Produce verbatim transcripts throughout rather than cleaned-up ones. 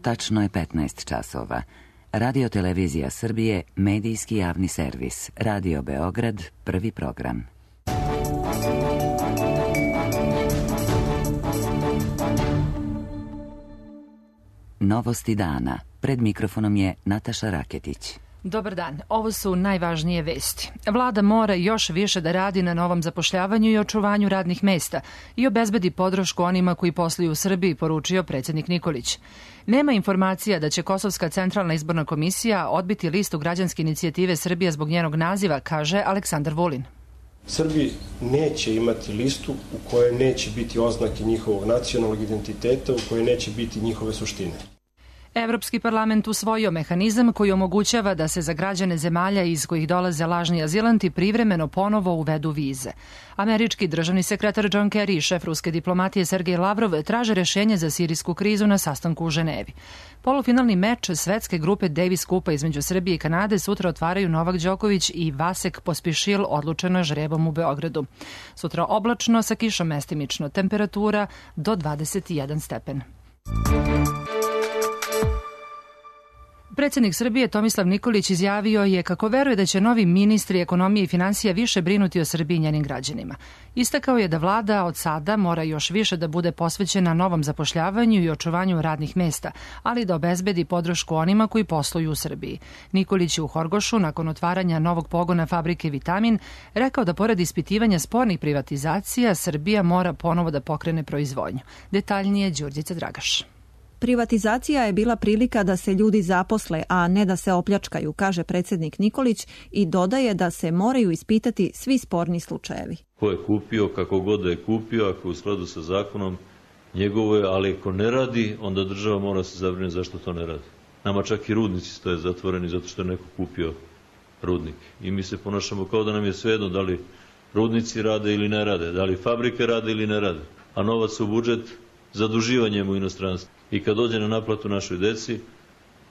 Tačno je petnaest časova. Radio Televizija Srbije, medijski javni servis. Radio Beograd, prvi program. Novosti dana. Pred mikrofonom je Nataša Raketić. Dobar dan, ovo su najvažnije vesti. Vlada mora još više da radi na novom zapošljavanju i očuvanju radnih mesta i obezbedi podršku onima koji posluju u Srbiji, poručio predsjednik Nikolić. Nema informacija da će Kosovska centralna izborna komisija odbiti listu građanske inicijative Srbija zbog njenog naziva, kaže Aleksandar Vulin. Srbi neće imati listu u kojoj neće biti oznake njihovog nacionalnog identiteta, u kojoj neće biti njihove suštine. Evropski parlament usvojio mehanizam koji omogućava da se za građane zemalja iz kojih dolaze lažni azilanti privremeno ponovo uvedu vize. Američki državni sekretar John Kerry i šef ruske diplomatije Sergej Lavrov traže rešenje za sirijsku krizu na sastanku u Ženevi. Polufinalni meč svetske grupe Davis Kupa između Srbije i Kanade sutra otvaraju Novak Đoković i Vasek Pospišil, odlučeno žrebom u Beogradu. Sutra oblačno sa kišom mestimično, temperatura do dvadeset jedan stepen. Predsjednik Srbije Tomislav Nikolić izjavio je kako veruje da će novi ministri ekonomije i finansija više brinuti o Srbiji i njenim građanima. Istakao je da vlada od sada mora još više da bude posvećena novom zapošljavanju i očuvanju radnih mesta, ali da obezbedi podršku onima koji posluju u Srbiji. Nikolić je u Horgošu, nakon otvaranja novog pogona fabrike Vitamin, rekao da pored ispitivanja spornih privatizacija, Srbija mora ponovo da pokrene proizvodnju. Detaljnije Đurđica Dragaš. Privatizacija je bila prilika da se ljudi zaposle, a ne da se opljačkaju, kaže predsjednik Nikolić i dodaje da se moraju ispitati svi sporni slučajevi. Ko je kupio, kako god da je kupio, ako je u skladu sa zakonom, njegovo je, ali ako ne radi, onda država mora se zabrinuti zašto to ne radi. Nama čak i rudnici stoje zatvoreni zato što je neko kupio rudnik. I mi se ponašamo kao da nam je svejedno da li rudnici rade ili ne rade, da li fabrike rade ili ne rade, a novac u budžet zaduživanjem u inostranstvu. I kad dođe na naplatu našoj deci,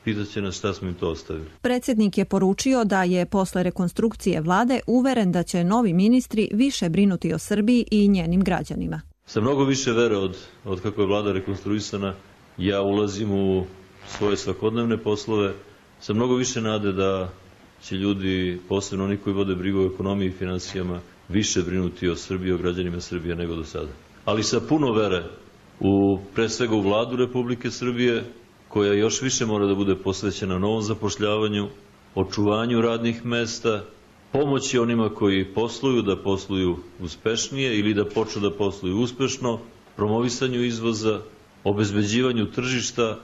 pitat će nas šta smo im to ostavili. Predsjednik je poručio da je posle rekonstrukcije vlade uveren da će novi ministri više brinuti o Srbiji i njenim građanima. Sa mnogo više vere od, od kako je vlada rekonstruisana, ja ulazim u svoje svakodnevne poslove, sa mnogo više nade da će ljudi, posebno oni koji vode brigu o ekonomiji i finansijama, više brinuti o Srbiji, o građanima Srbije nego do sada. Ali sa puno vere u, pre svega u vladu Republike Srbije, koja još više mora da bude posvećena novom zapošljavanju, očuvanju radnih mesta, pomoći onima koji posluju da posluju uspešnije ili da počnu da posluju uspešno, promovisanju izvoza, obezbeđivanju tržišta,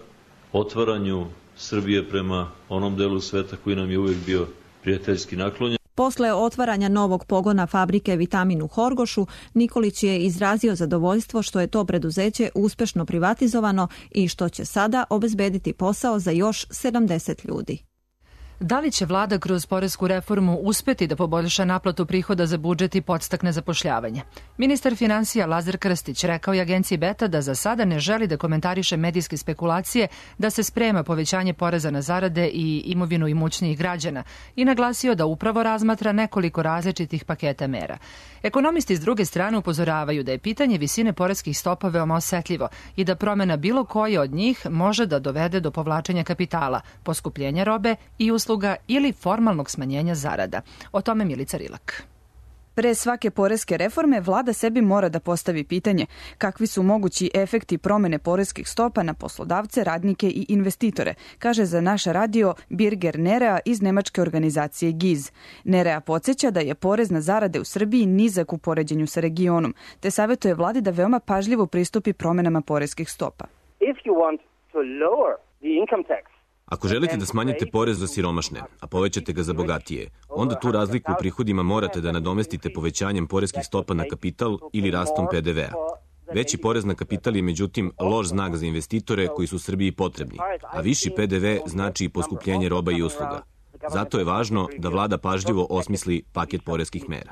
otvaranju Srbije prema onom delu sveta koji nam je uvijek bio prijateljski naklonjen. Posle otvaranja novog pogona fabrike Vitamin u Horgošu, Nikolić je izrazio zadovoljstvo što je to preduzeće uspešno privatizovano i što će sada obezbediti posao za još sedamdeset ljudi. Da li će vlada kroz poresku reformu uspeti da poboljša naplatu prihoda za budžet i podstakne zapošljavanje? Ministar finansija Lazar Krstić rekao je agenciji Beta da za sada ne želi da komentariše medijske spekulacije da se sprema povećanje poreza na zarade i imovinu imućnijih građana i naglasio da upravo razmatra nekoliko različitih paketa mera. Ekonomisti s druge strane upozoravaju da je pitanje visine poreskih stopa veoma osetljivo i da promena bilo koje od njih može da dovede do povlačenja kapitala, poskupljenja robe i usluga ili formalnog smanjenja zarada. O tome Milica Rilak. Pre svake poreske reforme vlada sebi mora da postavi pitanje kakvi su mogući efekti promene poreskih stopa na poslodavce, radnike i investitore, kaže za naš radio Birger Nerea iz nemačke organizacije G I Z. Nerea podsjeća da je porez na zarade u Srbiji nizak u poređenju sa regionom, te savjetuje vladi da veoma pažljivo pristupi promenama poreskih stopa. If you want to lower the income tax, ako želite da smanjite porez za siromašne, a povećate ga za bogatije, onda tu razliku u prihodima morate da nadomestite povećanjem poreskih stopa na kapital ili rastom P D V-a. Veći porez na kapital je međutim loš znak za investitore koji su Srbiji potrebni, a viši P D V znači i poskupljenje roba i usluga. Zato je važno da vlada pažljivo osmisli paket poreskih mera.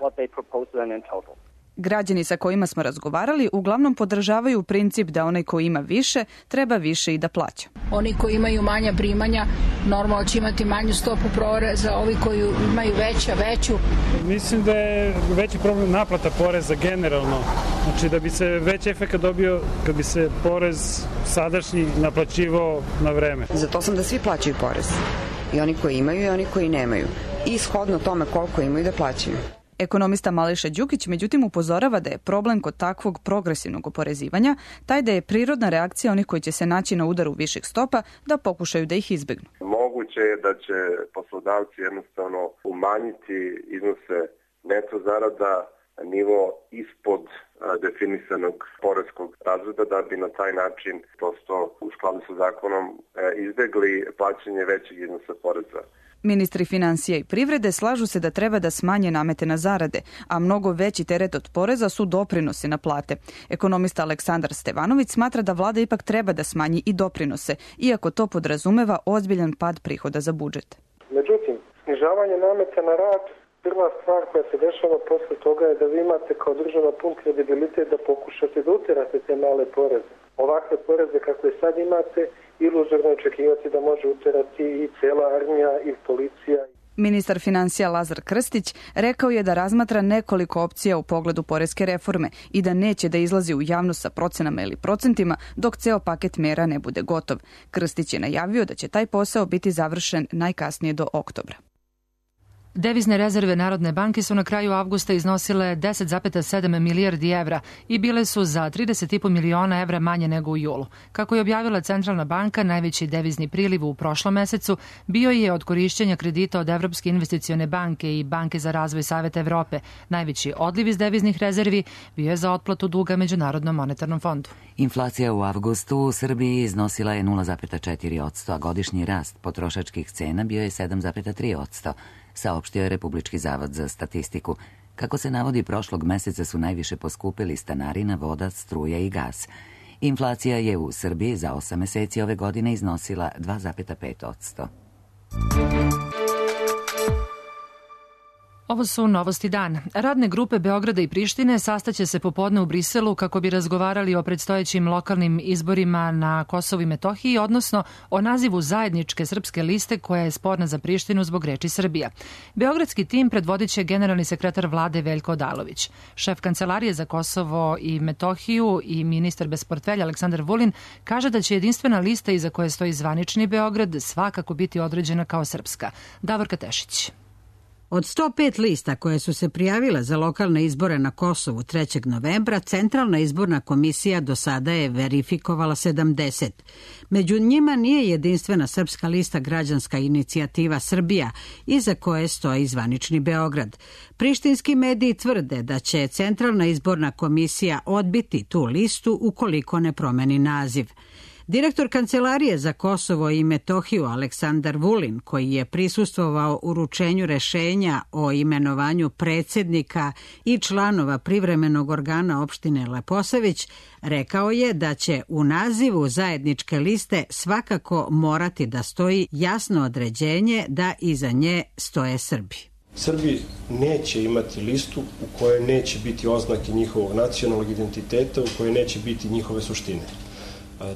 Građani sa kojima smo razgovarali uglavnom podržavaju princip da onaj ko ima više, treba više i da plaća. Oni koji imaju manja primanja normalno će imati manju stopu poreza, ovi koji imaju veća, veću. Mislim da je veći problem naplata poreza generalno. Znači da bi se veći efekt dobio kad bi se porez sadašnji naplaćivao na vreme. Zato sam da svi plaćaju porez. I oni koji imaju i oni koji nemaju. I shodno tome koliko imaju da plaćaju. Ekonomista Mališa Đukić međutim upozorava da je problem kod takvog progresivnog oporezivanja taj da je prirodna reakcija onih koji će se naći na udaru viših stopa da pokušaju da ih izbegnu. Moguće je da će poslodavci jednostavno umanjiti iznose neto zarada na nivo ispod definisanog poreskog razreda da bi na taj način prosto u skladu sa zakonom izbegli plaćanje većeg iznosa poreza. Ministri financija i privrede slažu se da treba da smanje namete na zarade, a mnogo veći teret od poreza su doprinosi na plate. Ekonomista Aleksandar Stevanović smatra da vlada ipak treba da smanji i doprinose, iako to podrazumeva ozbiljan pad prihoda za budžet. Međutim, snižavanje nameta na rad, prva stvar koja se dešava posle toga je da vi imate kao država pun kredibilitet da pokušate da uterate te male poreze. Ovakve poreze kakve sad imate, iluzorno očekivati da može uterati i cela armija i policija. Ministar financija Lazar Krstić rekao je da razmatra nekoliko opcija u pogledu poreske reforme i da neće da izlazi u javnost sa procenama ili procentima dok ceo paket mera ne bude gotov. Krstić je najavio da će taj posao biti završen najkasnije do oktobra. Devizne rezerve Narodne banke su na kraju avgusta iznosile deset zarez sedam milijardi evra i bile su za trideset zarez pet miliona evra manje nego u julu. Kako je objavila Centralna banka, najveći devizni priliv u prošlom mesecu bio je od korišćenja kredita od Evropske investicione banke i Banke za razvoj Saveta Evrope. Najveći odliv iz deviznih rezervi bio je za otplatu duga Međunarodnom monetarnom fondu. Inflacija u avgustu u Srbiji iznosila je nula zarez četiri posto, a godišnji rast potrošačkih cena bio je sedam zarez tri posto. Saopštio je Republički zavod za statistiku. Kako se navodi, prošlog meseca su najviše poskupili stanarina, voda, struja i gas. Inflacija je u Srbiji za osam meseci ove godine iznosila dva zarez pet posto. Ovo su novosti dana. Radne grupe Beograda i Prištine sastaće se popodne u Briselu kako bi razgovarali o predstojećim lokalnim izborima na Kosovu i Metohiji, odnosno o nazivu zajedničke srpske liste koja je sporna za Prištinu zbog reči Srbija. Beogradski tim predvodit će generalni sekretar vlade Veljko Odalović. Šef Kancelarije za Kosovo i Metohiju i ministar bez portfelja Aleksandar Vulin kaže da će jedinstvena lista iza koje stoji zvanični Beograd svakako biti određena kao srpska. Davorka Tešić. Od sto pet lista koje su se prijavile za lokalne izbore na Kosovu trećeg novembra, Centralna izborna komisija do sada je verifikovala sedamdeset. Među njima nije jedinstvena srpska lista Građanska inicijativa Srbija, iza koje stoji zvanični Beograd. Prištinski mediji tvrde da će Centralna izborna komisija odbiti tu listu ukoliko ne promeni naziv. Direktor Kancelarije za Kosovo i Metohiju Aleksandar Vulin, koji je prisustvovao uručenju rešenja o imenovanju predsjednika i članova privremenog organa opštine Leposavić, rekao je da će u nazivu zajedničke liste svakako morati da stoji jasno određenje da iza nje stoje Srbi. Srbi neće imati listu u kojoj neće biti oznake njihovog nacionalnog identiteta, u kojoj neće biti njihove suštine.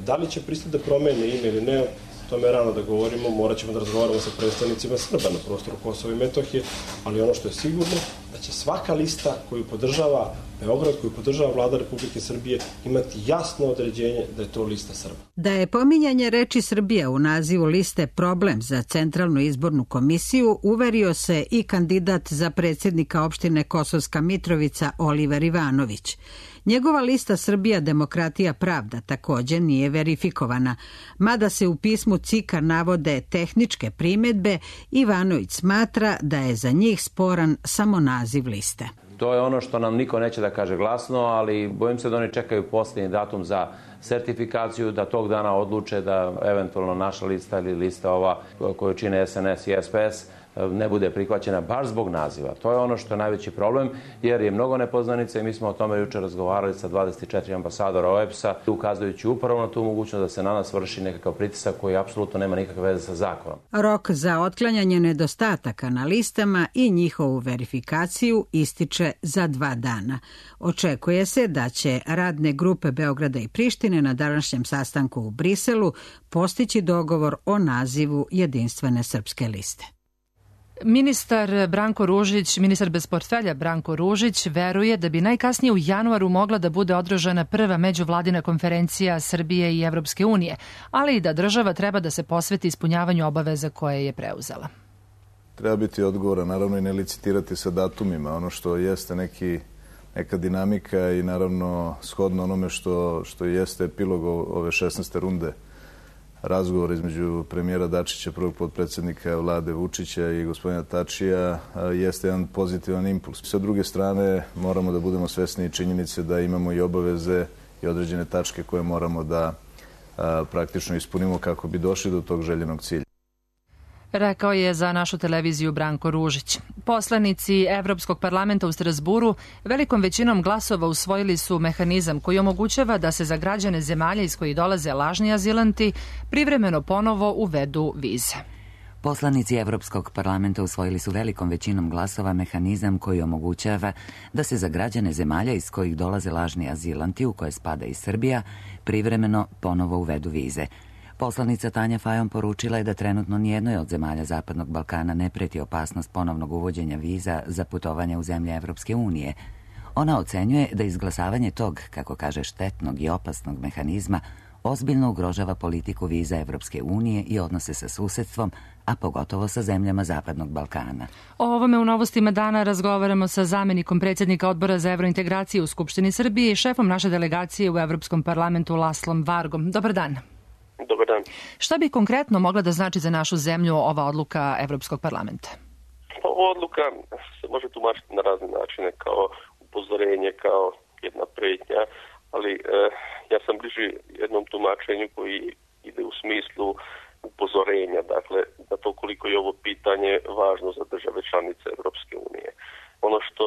Da li će pristati da promene ime ili ne, to je rano da govorimo, morat ćemo da razgovaramo sa predstavnicima Srba na prostoru Kosova i Metohije, ali ono što je sigurno, da će svaka lista koju podržava Beograd, koju podržava vlada Republike Srbije, imati jasno određenje da je to lista Srba. Da je pominjanje reči Srbija u nazivu liste problem za Centralnu izbornu komisiju, uverio se i kandidat za predsjednika opštine Kosovska Mitrovica Oliver Ivanović. Njegova lista Srbija, demokratija, pravda također nije verifikovana. Mada se u pismu C I K-a navode tehničke primjedbe, Ivanović smatra da je za njih sporan samo naziv liste. To je ono što nam niko neće da kaže glasno, ali bojim se da oni čekaju posljednji datum za sertifikaciju, da tog dana odluče da eventualno naša lista ili lista ova koju čine S N S i S P S ne bude prihvaćena baš zbog naziva. To je ono što je najveći problem, jer je mnogo nepoznanica i mi smo o tome juče razgovarali sa dvadeset četiri ambasadora O E B S-a, ukazujući upravo na tu mogućnost da se na nas vrši nekakav pritisak koji apsolutno nema nikakve veze sa zakonom. Rok za otklanjanje nedostataka na listama i njihovu verifikaciju ističe za dva dana. Očekuje se da će radne grupe Beograda i Prištine na današnjem sastanku u Briselu postići dogovor o nazivu jedinstvene srpske liste. Ministar Branko Ružić, ministar bez portfelja Branko Ružić, veruje da bi najkasnije u januaru mogla da bude održana prva međuvladina konferencija Srbije i Evropske unije, ali i da država treba da se posveti ispunjavanju obaveza koje je preuzela. Treba biti odgovoran, naravno i ne licitirati sa datumima. Ono što jeste neki, neka dinamika i naravno shodno onome što, što jeste epilog ove šesnaeste runde razgovor između premijera Dačića, prvog potpredsjednika vlade Vučića i gospodina Tačija jeste jedan pozitivan impuls. Sa druge strane moramo da budemo svesni činjenice da imamo i obaveze i određene tačke koje moramo da a, praktično ispunimo kako bi došli do tog željenog cilja. Rekao je za našu televiziju Branko Ružić. Poslanici Evropskog parlamenta u Strasburu velikom većinom glasova usvojili su mehanizam koji omogućava da se za građane zemalja iz kojih dolaze lažni azilanti privremeno ponovo uvedu vize. Poslanici Evropskog parlamenta usvojili su velikom većinom glasova mehanizam koji omogućava da se za građane zemalja iz kojih dolaze lažni azilanti, u koje spada i Srbija, privremeno ponovo uvedu vize. Poslanica Tanja Fajon poručila je da trenutno nijednoj od zemalja Zapadnog Balkana ne preti opasnost ponovnog uvođenja viza za putovanje u zemlje Evropske unije. Ona ocenjuje da izglasavanje tog, kako kaže, štetnog i opasnog mehanizma ozbiljno ugrožava politiku viza Evropske unije i odnose sa susedstvom, a pogotovo sa zemljama Zapadnog Balkana. O ovome u Novostima dana razgovaramo sa zamenikom predsjednika Odbora za evrointegraciju u Skupštini Srbije i šefom naše delegacije u Evropskom parlamentu Laslom Vargom. Dobar dan. Dobar dan. Šta bi konkretno mogla da znači za našu zemlju ova odluka Evropskog parlamenta? Ova odluka se može tumačiti na razne načine, kao upozorenje, kao jedna pretnja, ali eh, ja sam bliži jednom tumačenju koji ide u smislu upozorenja, dakle, da to koliko je ovo pitanje važno za države članice Evropske unije. Ono što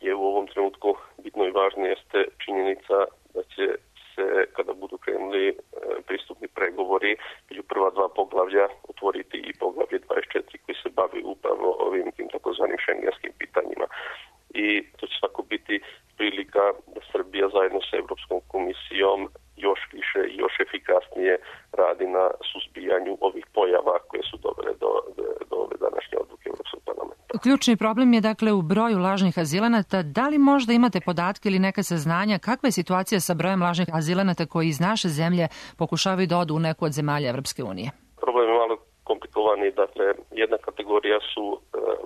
je u ovom trenutku bitno i važno jeste činjenica da će se, kada budu krenuli e, pristupni pregovori, među prva dva poglavlja otvoriti i poglavlje dvadeset četiri koji se bavi upravo ovim tim takozvanim šengenskim pitanjima. I to će svako biti prilika da Srbija zajedno sa Evropskom komisijom još više i još efikasnije radi na suzbijanju ovih pojava koje su dovele do, do, do ove današnje odluke Evropskog parlamenta. Ključni problem je dakle u broju lažnih azilanata. Da li možda imate podatke ili neka saznanja kakva je situacija sa brojem lažnih azilanata koji iz naše zemlje pokušavaju da odu u neku od zemalja Evropske unije? Problem je malo komplikovani. Dakle, jedna kategorija su e,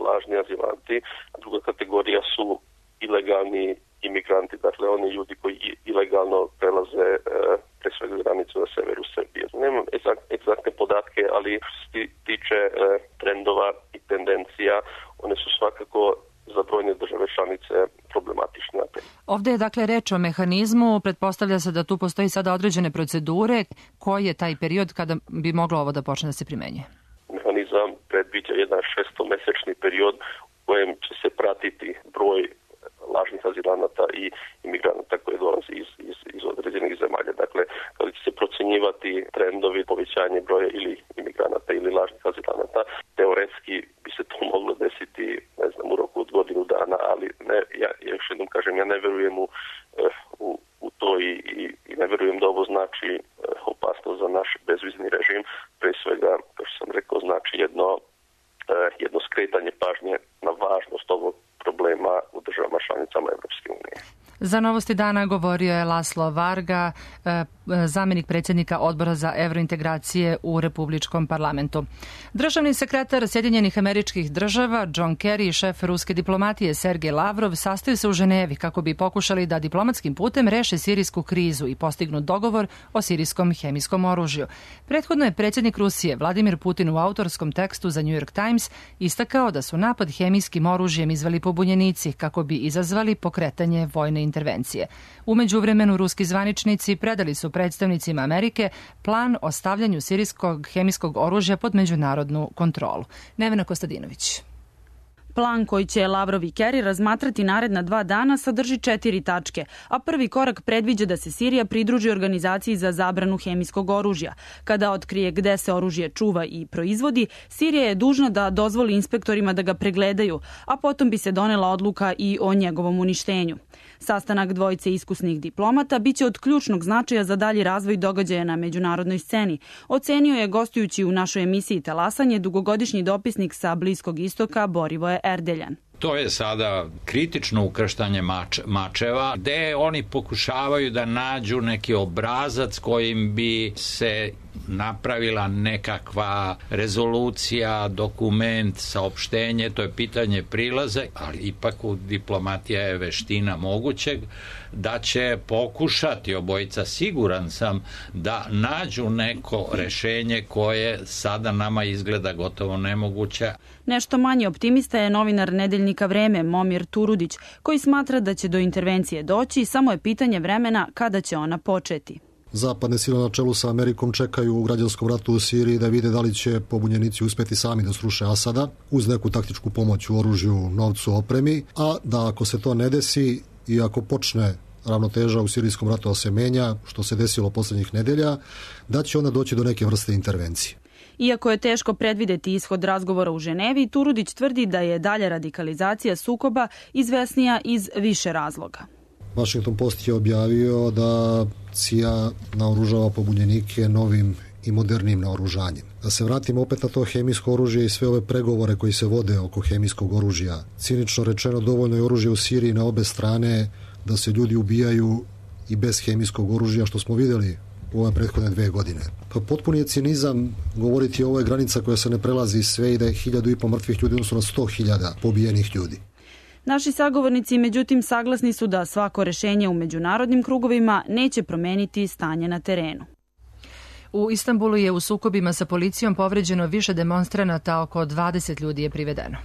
lažni azilanti, a druga kategorija su ilegalni imigranti, dakle oni ljudi koji ilegalno prelaze e, pre svega granicu na severu Srbije. Nemam egzaktne podatke, ali što se tiče e, trendova i tendencija, one su svakako za brojne države članice problematične. Ovde je dakle reč o mehanizmu, pretpostavlja se da tu postoji sada određene procedure. Koji je taj period kada bi moglo ovo da počne da se primenjuje? Mehanizam predviđa jedan šestomesečni period u kojem će se pratiti broj lažnih azilanata i imigranata koji dolaze iz, iz, iz određenih zemalja. Dakle, kada će se procenjivati trendovi povećanje broja ili imigranata ili lažnih azilanata, teoretski bi se to moglo desiti, ne znam, u roku od godinu dana, ali ne, ja, ja još jednom kažem, ja ne verujem u, u, u to i, i, i ne verujem da ovo znači opasnost za naš bezvizni režim. Pre svega, kao što sam rekao, znači jedno, jedno skretanje pažnje na važnost ovog problema u državama članicama Evropske unije. Za Novosti dana govorio je Laslo Varga, zamjenik predsjednika Odbora za evrointegracije u Republičkom parlamentu. Državni sekretar Sjedinjenih Američkih Država John Kerry i šef ruske diplomatije Sergej Lavrov sastaju se u Ženevi kako bi pokušali da diplomatskim putem reše sirijsku krizu i postignu dogovor o sirijskom hemijskom oružju. Prethodno je predsjednik Rusije Vladimir Putin u autorskom tekstu za New York Times istakao da su napad hemijskim oružjem izveli pobunjenici kako bi izazvali pokretanje vojne intervencije. U međuvremenu ruski zvaničnici predali su predstavnicima Amerike plan o stavljanju sirijskog hemijskog oružja pod međunarodnu kontrolu. Nevena Kostadinović. Plan koji će Lavrov i Kerry razmatrati naredna dva dana sadrži četiri tačke, a prvi korak predviđa da se Sirija pridruži organizaciji za zabranu hemijskog oružja. Kada otkrije gde se oružje čuva i proizvodi, Sirija je dužna da dozvoli inspektorima da ga pregledaju, a potom bi se donela odluka i o njegovom uništenju. Sastanak dvojice iskusnih diplomata biće od ključnog značaja za dalji razvoj događaja na međunarodnoj sceni, ocenio je gostujući u našoj emisiji Talasanje dugogodišnji dopisnik sa Bliskog istoka Borivoje Erdeljan. To je sada kritično ukrštanje mač, mačeva, gde oni pokušavaju da nađu neki obrazac kojim bi se napravila nekakva rezolucija, dokument, saopštenje, to je pitanje prilaze, ali ipak u diplomatija je veština mogućeg, da će pokušati obojica, siguran sam, da nađu neko rešenje koje sada nama izgleda gotovo nemoguće. Nešto manje optimista je novinar nedeljnika Vreme Momir Turudić, koji smatra da će do intervencije doći, samo je pitanje vremena kada će ona početi. Zapadne sile na čelu sa Amerikom čekaju u građanskom ratu u Siriji da vide da li će pobunjenici uspeti sami da sruše Asada uz neku taktičku pomoć u oružju, novcu, opremi, a da ako se to ne desi i ako počne ravnoteža u sirijskom ratu da se menja, što se desilo poslednjih nedelja, da će onda doći do neke vrste intervencije. Iako je teško predvideti ishod razgovora u Ženevi, Turudić tvrdi da je dalja radikalizacija sukoba izvesnija iz više razloga. Washington Post je objavio da C I A naoružava pobunjenike novim i modernim naoružanjem. Da se vratimo opet na to hemijsko oružje i sve ove pregovore koji se vode oko hemijskog oružja. Cinično rečeno, dovoljno je oružje u Siriji na obe strane da se ljudi ubijaju i bez hemijskog oružja, što smo videli u ove prethodne dve godine. Pa potpuni je cinizam govoriti o ovoj granica koja se ne prelazi sve i da je hiljadu i po mrtvih ljudi odnosno na sto hiljada pobijenih ljudi. Naši sagovornici, međutim, saglasni su da svako rešenje u međunarodnim krugovima neće promeniti stanje na terenu. U Istanbulu je u sukobima sa policijom povređeno više demonstranata, oko dvadeset ljudi je privedeno.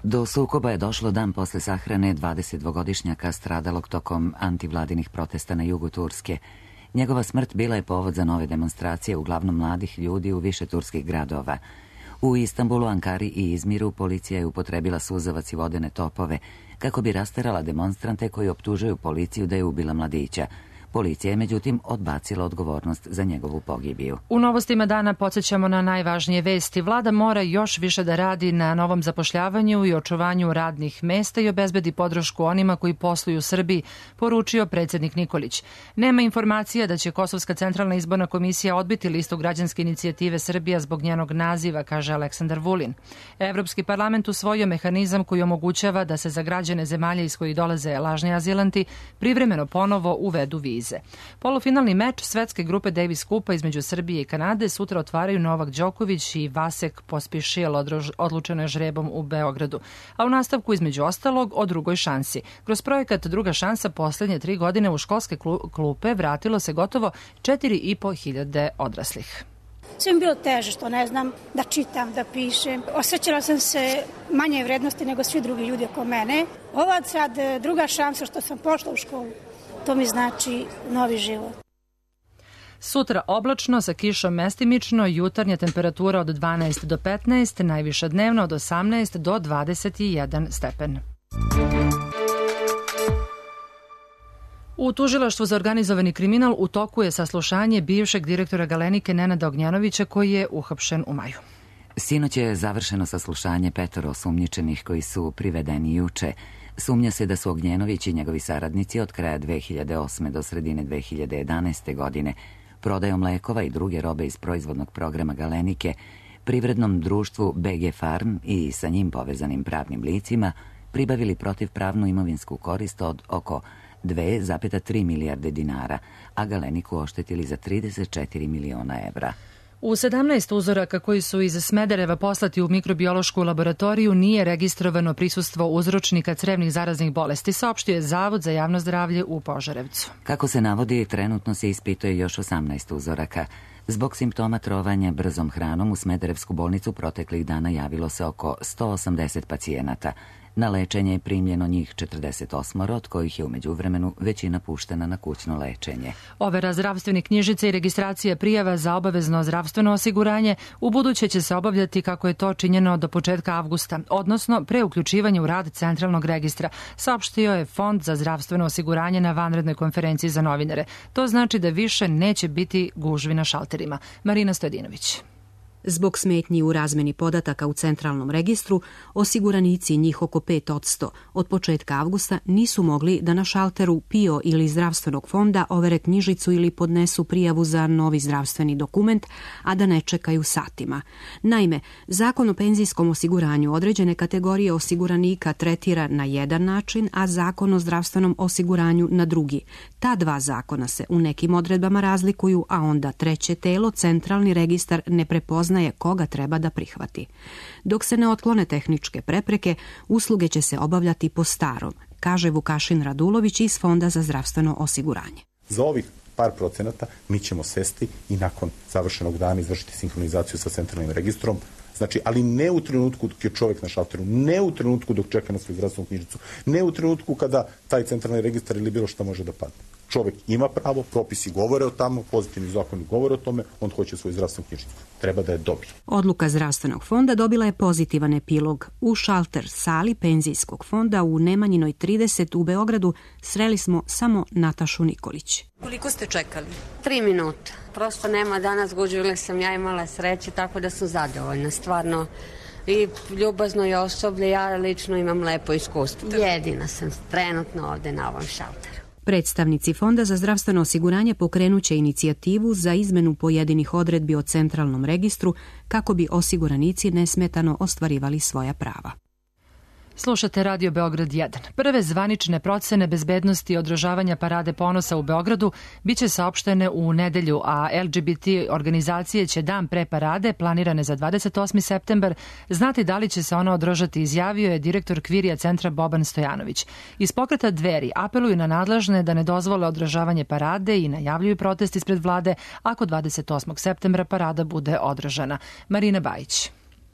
Do sukoba je došlo dan posle sahrane dvadesetdvogodišnjaka stradalog tokom antivladinih protesta na jugu Turske. Njegova smrt bila je povod za nove demonstracije, uglavnom mladih ljudi u više turskih gradova. U Istanbulu, Ankari i Izmiru policija je upotrebila suzavac i vodene topove kako bi rasterala demonstrante koji optužuju policiju da je ubila mladića. Policija je međutim odbacila odgovornost za njegovu pogibiju. U novostima dana podsjećamo na najvažnije vesti. Vlada mora još više da radi na novom zapošljavanju i očuvanju radnih mesta i obezbedi podršku onima koji posluju u Srbiji, poručio predsjednik Nikolić. Nema informacija da će Kosovska centralna izborna komisija odbiti listu građanske inicijative Srbija zbog njenog naziva, kaže Aleksandar Vulin. Evropski parlament usvojio mehanizam koji omogućava da se za građane zemalja iz kojih dolaze lažni azilanti privremeno ponovo uvedu vize. Polufinalni meč svetske grupe Davis Kupa između Srbije i Kanade sutra otvaraju Novak Đoković i Vasek Pospišil, odlučeno je žrebom u Beogradu. A u nastavku između ostalog o drugoj šansi. Kroz projekat Druga šansa poslednje tri godine u školske klupe vratilo se gotovo četiri i po hiljade odraslih. Sve mi bilo teže što ne znam da čitam, da pišem. Osjećala sam se manje vrednosti nego svi drugi ljudi oko mene. Ova sad druga šansa što sam pošla u školu. To mi znači novi život. Sutra oblačno sa kišom mestimično, jutarnja temperatura od dvanaest do petnaest, najviša dnevna od osamnaest do dvadeset jedan stepen. U Tužilaštvu za organizovani kriminal u toku je saslušanje bivšeg direktora Galenike Nenada Ognjanovića koji je uhapšen u maju. Sinoć je završeno saslušanje petoro osumnjičenih koji su privedeni juče. Sumnja se da su Ognjenović i njegovi saradnici od kraja dve hiljade osme do sredine dve hiljade jedanaeste. godine prodajom lekova i druge robe iz proizvodnog programa Galenike privrednom društvu B G Farm i sa njim povezanim pravnim licima pribavili protivpravnu imovinsku korist od oko dve zarez tri milijarde dinara, a Galeniku oštetili za trideset četiri miliona evra. U sedamnaest uzoraka koji su iz Smedereva poslati u mikrobiološku laboratoriju nije registrovano prisustvo uzročnika crevnih zaraznih bolesti, saopštio je Zavod za javno zdravlje u Požarevcu. Kako se navodi, trenutno se ispituje još osamnaest uzoraka. Zbog simptoma trovanja brzom hranom u Smederevsku bolnicu proteklih dana javilo se oko sto osamdeset pacijenata. Na lečenje je primljeno njih četrdeset osam, od kojih je u međuvremenu većina puštena na kućno lečenje. Overa zdravstvene knjižice i registracija prijava za obavezno zdravstveno osiguranje u buduće će se obavljati kako je to činjeno do početka avgusta, odnosno pre uključivanja u rad centralnog registra, saopštio je Fond za zdravstveno osiguranje na vanrednoj konferenciji za novinare. To znači da više neće biti gužvi na šalterima. Marina Stojadinović. Zbog smetnji u razmeni podataka u centralnom registru, osiguranici, njih oko pet posto, od početka avgusta nisu mogli da na šalteru P I O ili zdravstvenog fonda overe knjižicu ili podnesu prijavu za novi zdravstveni dokument, a da ne čekaju satima. Naime, Zakon o penzijskom osiguranju određene kategorije osiguranika tretira na jedan način, a Zakon o zdravstvenom osiguranju na drugi. Ta dva zakona se u nekim odredbama razlikuju, a onda treće telo, centralni registar, ne prepoznaje koga treba da prihvati. Dok se ne otklone tehničke prepreke, usluge će se obavljati po starom, kaže Vukašin Radulović iz Fonda za zdravstveno osiguranje. Za ovih par procenata mi ćemo sesti i nakon završenog dana izvršiti sinhronizaciju sa centralnim registrom, znači, ali ne u trenutku dok je čovjek na šalteru, ne u trenutku dok čeka na svoju zdravstvenu knjižicu, ne u trenutku kada taj centralni registar ili bilo šta može da padne. Čovjek ima pravo, propisi govore o tamo, pozitivni zakoni govore o tome, on hoće svoju zdravstvenu knjižicu. Treba da je dobije. Odluka zdravstvenog fonda dobila je pozitivan epilog. U šalter sali penzijskog fonda u Nemanjinoj trideset u Beogradu sreli smo samo Natašu Nikolić. Koliko ste čekali? Tri minuta. Prosto nema danas gužve, sam ja imala sreće, tako da sam zadovoljna, stvarno. I ljubazno je osoblje, ja lično imam lepo iskustvo. Jedina sam trenutno ovde na ovom šalteru. Predstavnici Fonda za zdravstveno osiguranje pokrenuće inicijativu za izmenu pojedinih odredbi o centralnom registru kako bi osiguranici nesmetano ostvarivali svoja prava. Slušate Radio Beograd jedan. Prve zvanične procene bezbednosti i održavanja Parade ponosa u Beogradu biće saopštene u nedelju, a L G B T organizacije će dan pre parade, planirane za dvadeset osmi septembar, znati da li će se ona održati, izjavio je direktor Kvirija centra Boban Stojanović. Iz pokreta Dveri apeluju na nadležne da ne dozvole održavanje parade i najavljuju protest ispred vlade ako dvadeset osmog septembra parada bude održana. Marina Bajić.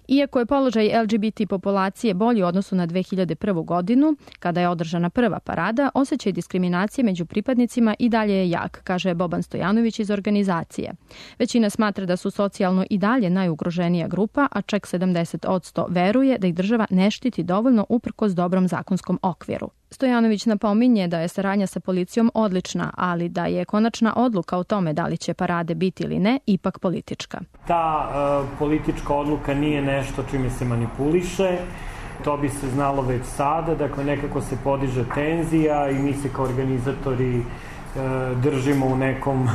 Iako je položaj L G B T populacije bolji u odnosu na dve hiljade prvu godinu, kada je održana prva parada, osjećaj diskriminacije među pripadnicima i dalje je jak, kaže Boban Stojanović iz organizacije. Većina smatra da su socijalno i dalje najugroženija grupa, a čak sedamdeset posto veruje da ih država ne štiti dovoljno uprkos dobrom zakonskom okviru. Stojanović napominje da je saradnja sa policijom odlična, ali da je konačna odluka o tome da li će parade biti ili ne ipak politička. Ta uh, politička odluka nije nešto čime se manipuliše, to bi se znalo već sada, dakle nekako se podiže tenzija i mi se kao organizatori uh, držimo u nekom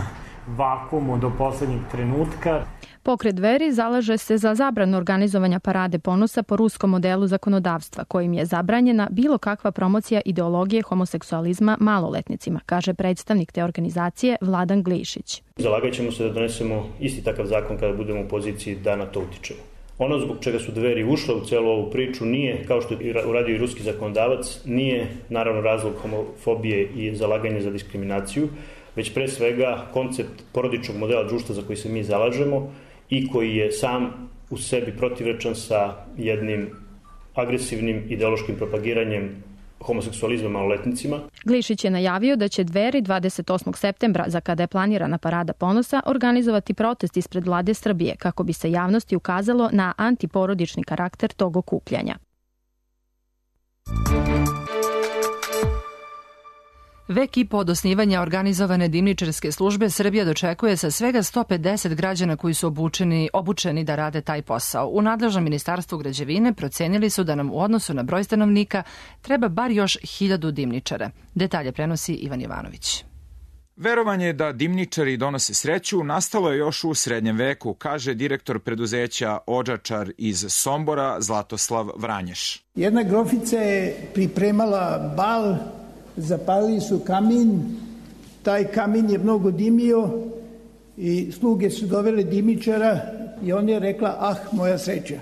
vakumu do poslednjeg trenutka. Pokret Dveri zalaže se za zabranu organizovanja Parade ponosa po ruskom modelu zakonodavstva, kojim je zabranjena bilo kakva promocija ideologije homoseksualizma maloletnicima, kaže predstavnik te organizacije Vladan Glišić. Zalagat ćemo se da donesemo isti takav zakon kada budemo u poziciji da na to utičemo. Ono zbog čega su Dveri ušle u celu ovu priču nije, kao što je uradio i ruski zakonodavac, nije naravno razlog homofobije i zalaganje za diskriminaciju, već pre svega koncept porodičnog modela društva za koji se mi zalažemo i koji je sam u sebi protivrečan sa jednim agresivnim ideološkim propagiranjem homoseksualizma maloletnicima. Glišić je najavio da će Dveri dvadeset osmog septembra, za kada je planirana Parada ponosa, organizovati protest ispred vlade Srbije kako bi se javnosti ukazalo na antiporodični karakter tog okupljanja. Vek i po od osnivanja organizovane dimničarske službe Srbija dočekuje sa svega sto pedeset građana koji su obučeni, obučeni da rade taj posao. U nadležnom ministarstvu građevine procenili su da nam u odnosu na broj stanovnika treba bar još hiljadu dimničara. Detalje prenosi Ivan Jovanović. Verovanje da dimničari donose sreću nastalo je još u srednjem veku, kaže direktor preduzeća Odžačar iz Sombora Zlatoslav Vranješ. Jedna grofica je pripremala bal, zapalili su kamin, taj kamin je mnogo dimio i sluge su dovele dimičara i on je rekla, ah, moja sreća.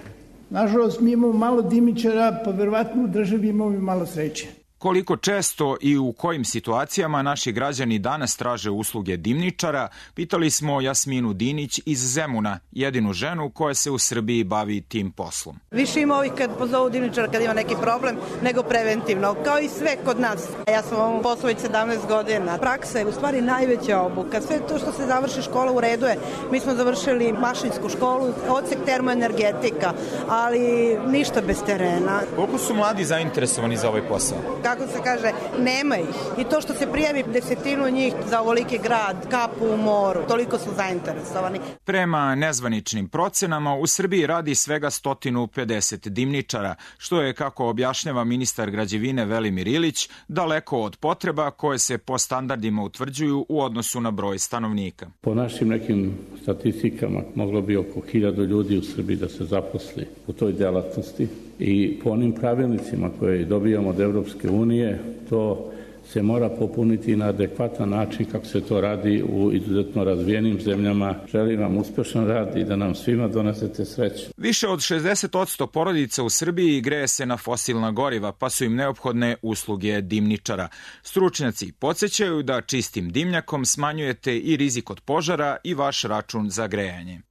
Nažalost, mi imamo malo dimičara, pa verovatno u državi imamo malo sreće. Koliko često i u kojim situacijama naši građani danas traže usluge dimničara, pitali smo Jasminu Dinić iz Zemuna, jedinu ženu koja se u Srbiji bavi tim poslom. Više ima ovih kad pozovu dimničara kad ima neki problem, nego preventivno, kao i sve kod nas. Ja sam u ovom poslu već sedamnaest godina. Praksa je u stvari najveća obuka. Sve to što se završi škola u redu je. Mi smo završili mašinsku školu, odsek termoenergetika, ali ništa bez terena. Koliko su mladi zainteresovani za ovaj posao? Kako se kaže, nema ih. I to što se prijavi desetinu njih za ovoliki grad, kapu u moru, toliko su zainteresovani. Prema nezvaničnim procenama, u Srbiji radi svega sto pedeset dimničara, što je, kako objašnjava ministar građevine Velimir Ilić, daleko od potreba koje se po standardima utvrđuju u odnosu na broj stanovnika. Po našim nekim statistikama moglo bi oko hiljadu ljudi u Srbiji da se zaposli u toj delatnosti i po onim pravilnicima koje dobijamo od Evropske unije to se mora popuniti na adekvatan način kako se to radi u izuzetno razvijenim zemljama. Želim vam uspešan rad i da nam svima donesete sreću. Više od šezdeset posto porodica u Srbiji greje se na fosilna goriva, pa su im neophodne usluge dimničara. Stručnjaci podsjećaju da čistim dimnjakom smanjujete i rizik od požara i vaš račun za grejanje.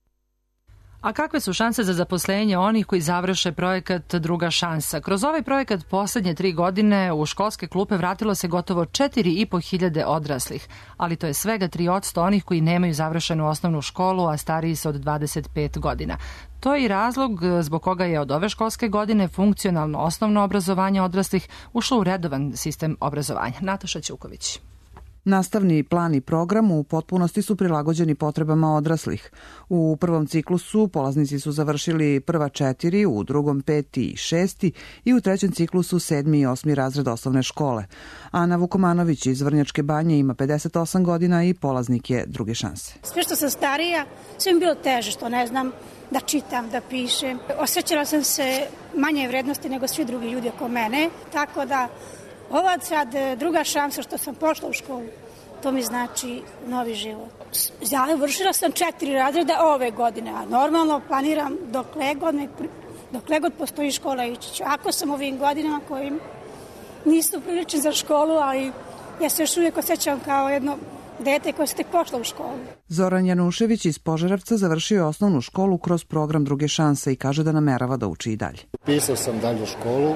A kakve su šanse za zaposlenje onih koji završe projekat Druga šansa? Kroz ovaj projekat poslednje tri godine u školske klupe vratilo se gotovo četiri i po hiljade odraslih, ali to je svega tri posto onih koji nemaju završenu osnovnu školu, a stariji su od dvadeset pet godina. To je i razlog zbog koga je od ove školske godine funkcionalno osnovno obrazovanje odraslih ušlo u redovan sistem obrazovanja. Nataša Ćuković. Nastavni plan i program u potpunosti su prilagođeni potrebama odraslih. U prvom ciklusu polaznici su završili prva četiri, u drugom peti i šesti i u trećem ciklusu sedmi i osmi razred osnovne škole. Ana Vukomanović iz Vrnjačke Banje ima pedeset osam godina i polaznik je Druge šanse. Sve što sam starija, sve mi bilo teže, što ne znam da čitam, da pišem. Osjećala sam se manje vrednosti nego svi drugi ljudi oko mene, tako da ova sad druga šansa što sam pošla u školu, to mi znači novi život. Ja vršila sam četiri razreda ove godine, a normalno planiram dokle god, me, dokle god postoji škola ići ću. Ako sam ovim godinama kojim nisu prilični za školu, ali ja se još uvijek osjećam kao jedno dete koje se tek pošla u školu. Zoran Janušević iz Požarevca završio je osnovnu školu kroz program Druge šanse i kaže da namerava da uči i dalje. Pisao sam dalje školu.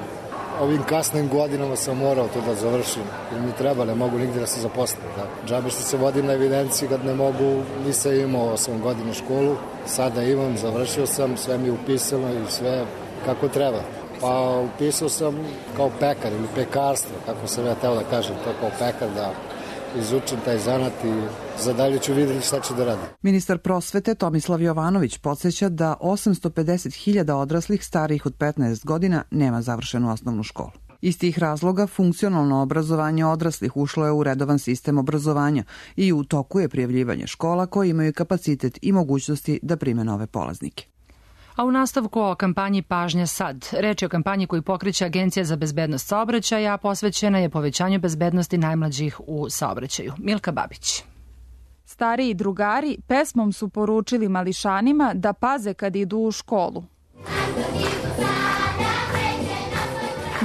Ovim kasnim godinama sam morao to da završim, jer mi treba, ne mogu nigdje da se zaposlim. Da. Džabe što se vodim na evidenciji kad ne mogu, nisam imao osam godina školu, sada imam, završio sam, sve mi je upisano i sve kako treba. Pa upisao sam kao pekar ili pekarstvo, kako sam ja teo da kažem, to kao pekar, da izučim taj zanat i za dalje ću vidjeti šta ću da radim. Ministar prosvete Tomislav Jovanović podsjeća da osamsto pedeset hiljada odraslih starijih od petnaest godina nema završenu osnovnu školu. Iz tih razloga funkcionalno obrazovanje odraslih ušlo je u redovan sistem obrazovanja i u toku je prijavljivanje škola koje imaju kapacitet i mogućnosti da prime nove polaznike. A u nastavku o kampanji Pažnja sad. Reč je o kampanji koju pokreće Agencija za bezbednost saobraćaja, a posvećena je povećanju bezbednosti najmlađih u saobraćaju. Milka Babić. Stariji drugari pesmom su poručili mališanima da paze kad idu u školu.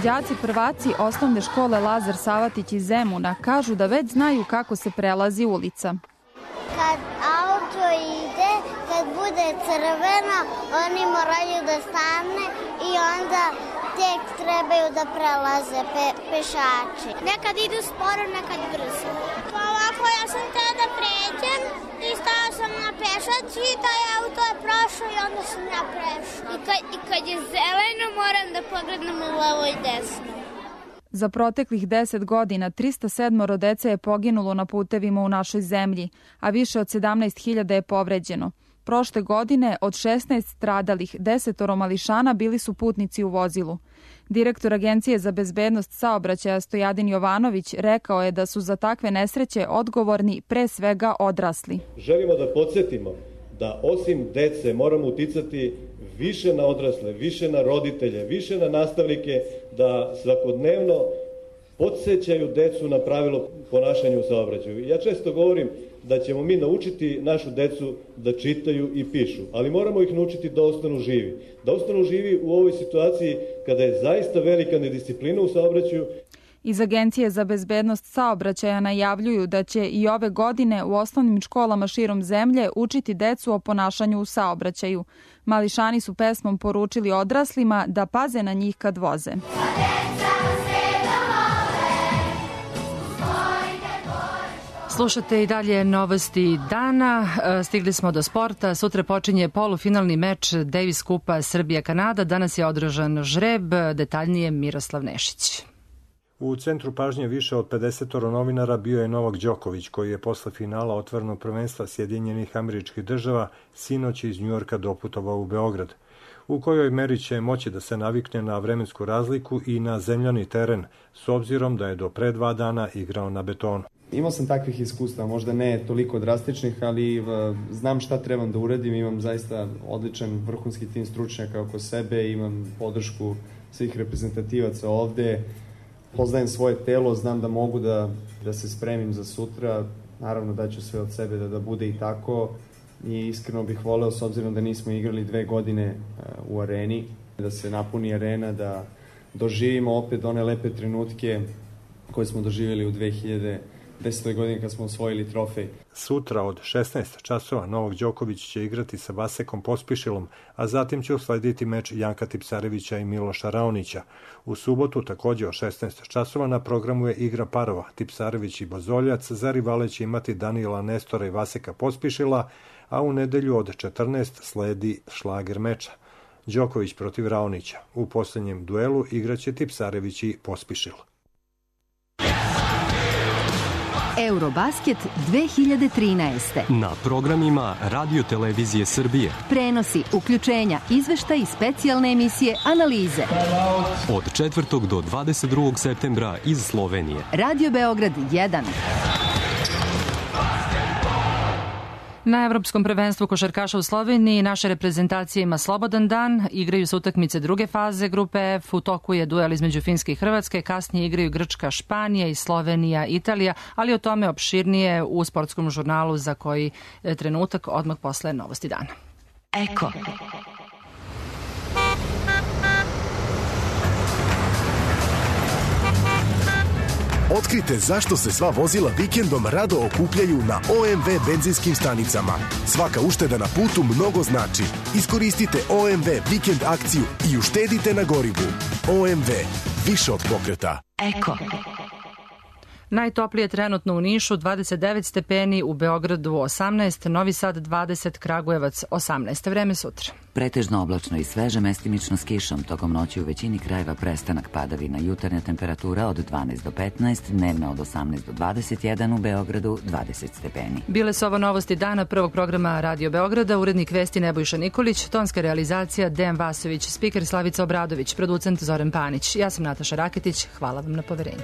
Đaci prvaci osnovne škole Lazar Savatić iz Zemuna kažu da već znaju kako se prelazi ulica. Kad auto ide, kad bude crveno, oni moraju da stane i onda tek trebaju da prelaze pe, pešači. Nekad idu sporo, nekad brzo. Pa ovako, ja sam teo da pređem i stao sam na pešači i taj auto je prošao i onda sam ja prešao. I kad, i kad je zeleno, moram da pogledam u levo i desno. Za proteklih deset godina trista sedam dece je poginulo na putevima u našoj zemlji, a više od sedamnaest hiljada je povređeno. Prošle godine od šesnaest stradalih desetoro mališana bili su putnici u vozilu. Direktor Agencije za bezbednost saobraćaja Stojadin Jovanović rekao je da su za takve nesreće odgovorni pre svega odrasli. Želimo da podsjetimo da osim dece moramo uticati više na odrasle, više na roditelje, više na nastavnike da svakodnevno podsjećaju decu na pravilo ponašanja u saobraćaju. Ja često govorim da ćemo mi naučiti našu decu da čitaju i pišu, ali moramo ih naučiti da ostanu živi. Da ostanu živi u ovoj situaciji kada je zaista velika nedisciplina u saobraćaju. Iz Agencije za bezbednost saobraćaja najavljuju da će i ove godine u osnovnim školama širom zemlje učiti decu o ponašanju u saobraćaju. Mališani su pesmom poručili odraslima da paze na njih kad voze. Slušate i dalje novosti dana. Stigli smo do sporta. Sutra počinje polufinalni meč Davis Kupa Srbija-Kanada. Danas je održan žreb. Detaljnije Miroslav Nešić. U centru pažnje više od pedeset novinara bio je Novak Đoković, koji je posle finala otvorenog prvenstva Sjedinjenih Američkih Država sinoć iz Njujorka doputovao u Beograd. U kojoj meri će moći da se navikne na vremensku razliku i na zemljani teren, s obzirom da je do pre dva dana igrao na betonu. Imao sam takvih iskustva, možda ne toliko drastičnih, ali znam šta trebam da uradim, imam zaista odličan vrhunski tim stručnjaka oko sebe, imam podršku svih reprezentativaca ovde, poznajem svoje telo, znam da mogu da, da se spremim za sutra, naravno da ću sve od sebe da, da bude i tako i iskreno bih voleo, s obzirom da nismo igrali dve godine u areni, da se napuni arena, da doživimo opet one lepe trenutke koje smo doživjeli u dve hiljade desetoj godini kad smo osvojili trofej. Sutra od šesnaest časova Novak Đoković će igrati sa Vasekom Pospišilom, a zatim će uslediti meč Janka Tipsarevića i Miloša Raonića. U subotu takođe od šesnaest časova na programu je igra parova. Tipsarević i Bozoljac, za rivale će imati Danila Nestora i Vaseka Pospišila, a u nedelju od četrnaest sledi šlager meča. Đoković protiv Raonića. U posljednjem duelu igraće Tipsarević i Pospišil. Eurobasket dve hiljade trinaeste. Na programima Radio Televizije Srbije. Prenosi, uključenja, izveštaj i specijalne emisije, analize. Od četvrtog do dvadeset drugog septembra iz Slovenije. Radio Beograd jedan. Na Evropskom prvenstvu košarkaša u Sloveniji naša reprezentacija ima slobodan dan, igraju se utakmice druge faze grupe F, u toku je duel između Finske i Hrvatske, kasnije igraju Grčka, Španija i Slovenija, Italija, ali o tome opširnije u sportskom žurnalu za koji trenutak odmah posle novosti dana. Eko. Otkrite zašto se sva vozila vikendom rado okupljaju na O M V benzinskim stanicama. Svaka ušteda na putu mnogo znači. Iskoristite O M V vikend akciju i uštedite na gorivu. O M V. Više od pokreta. Eko. Najtoplije trenutno u Nišu, dvadeset devet stepeni, u Beogradu osamnaest, Novi Sad dvadeset, Kragujevac osamnaest. Vreme sutra. Pretežno oblačno i sveže, mestimično s kišom. Tokom noći u većini krajeva prestanak padavina. Jutarnja temperatura od dvanaest do petnaest, dnevna od osamnaest do dvadeset jedan, u Beogradu dvadeset stepeni. Bile su ovo novosti dana prvog programa Radio Beograda, urednik vesti Nebojša Nikolić, tonska realizacija Dejan Vasović, spiker Slavica Obradović, producent Zoran Panić. Ja sam Nataša Raketić, hvala vam na poverenju.